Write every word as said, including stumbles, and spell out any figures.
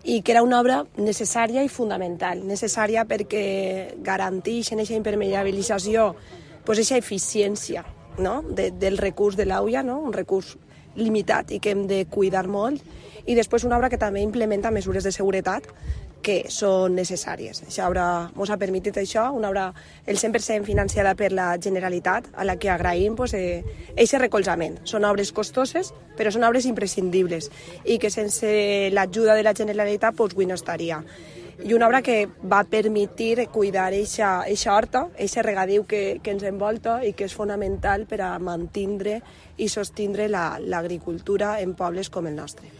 i que era una obra necessària i fundamental. Necessària perquè garanteix en aquesta impermeabilització aquesta eficiència, no? de, del recurs de l'auia, no? Un recurs limitat i que hem de cuidar molt, i després una obra que també implementa mesures de seguretat que són necessàries. Aquesta obra ens ha permès això, una obra el cent per cent financiada per la Generalitat, a la que agraïm aquest pues, eh, recolzament. Són obres costoses, però són obres imprescindibles i que sense l'ajuda de la Generalitat pues, avui no estaria. I una obra que va permetre cuidar aquesta horta, aquest regadiu que, que ens envolta i que és fonamental per a mantenir i sostindre l'agricultura en pobles com el nostre.